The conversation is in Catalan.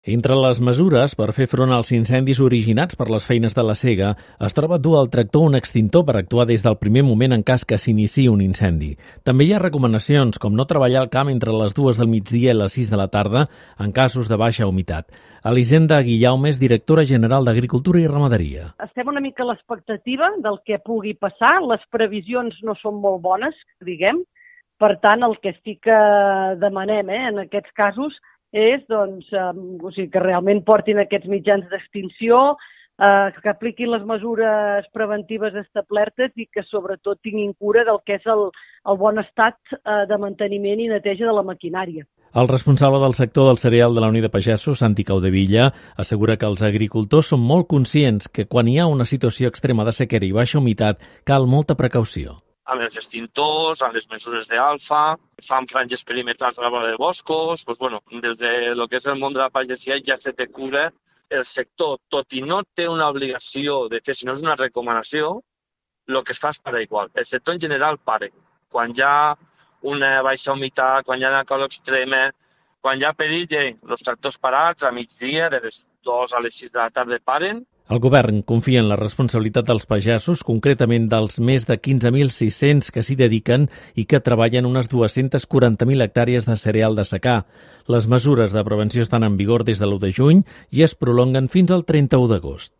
Entre les mesures per fer front als incendis originats per les feines de la sega es troba dur al tractor un extintor per actuar des del primer moment en cas que s'iniciï un incendi. També hi ha recomanacions com no treballar al camp entre les 2 del migdia i les 6 de la tarda en casos de baixa humitat. Elisenda Guillaume és directora general d'Agricultura i Ramaderia. Estem una mica a l'expectativa del que pugui passar. Les previsions no són molt bones, diguem. Per tant, el que sí que demanem en aquests casos és que realment portin aquests mitjans d'extinció, que apliquin les mesures preventives establertes i que sobretot tinguin cura del que és el bon estat de manteniment i neteja de la maquinària. El responsable del sector del cereal de la Unió de Pagesos, Santi Caudevilla, assegura que els agricultors són molt conscients que quan hi ha una situació extrema de sequera i baixa humitat cal molta precaució. Amb els extintors, amb les mesures d'alfa, fan franges perimetrals a la vora de boscos, des de lo que és el món de la pagesia ja se té cura. El sector, tot i no té una obligació de fer, sinó és una recomanació, el que es fa és parar igual. El sector en general para. Quan hi ha una baixa humitat, quan hi ha una calor extrema, quan hi ha perill, els tractors parats a migdia, de les 2 a les 6 de la tarda paren. El govern confia en la responsabilitat dels pagesos, concretament dels més de 15.600 que s'hi dediquen i que treballen unes 240.000 hectàrees de cereal de secà. Les mesures de prevenció estan en vigor des de l'1 de juny i es prolonguen fins al 31 d'agost.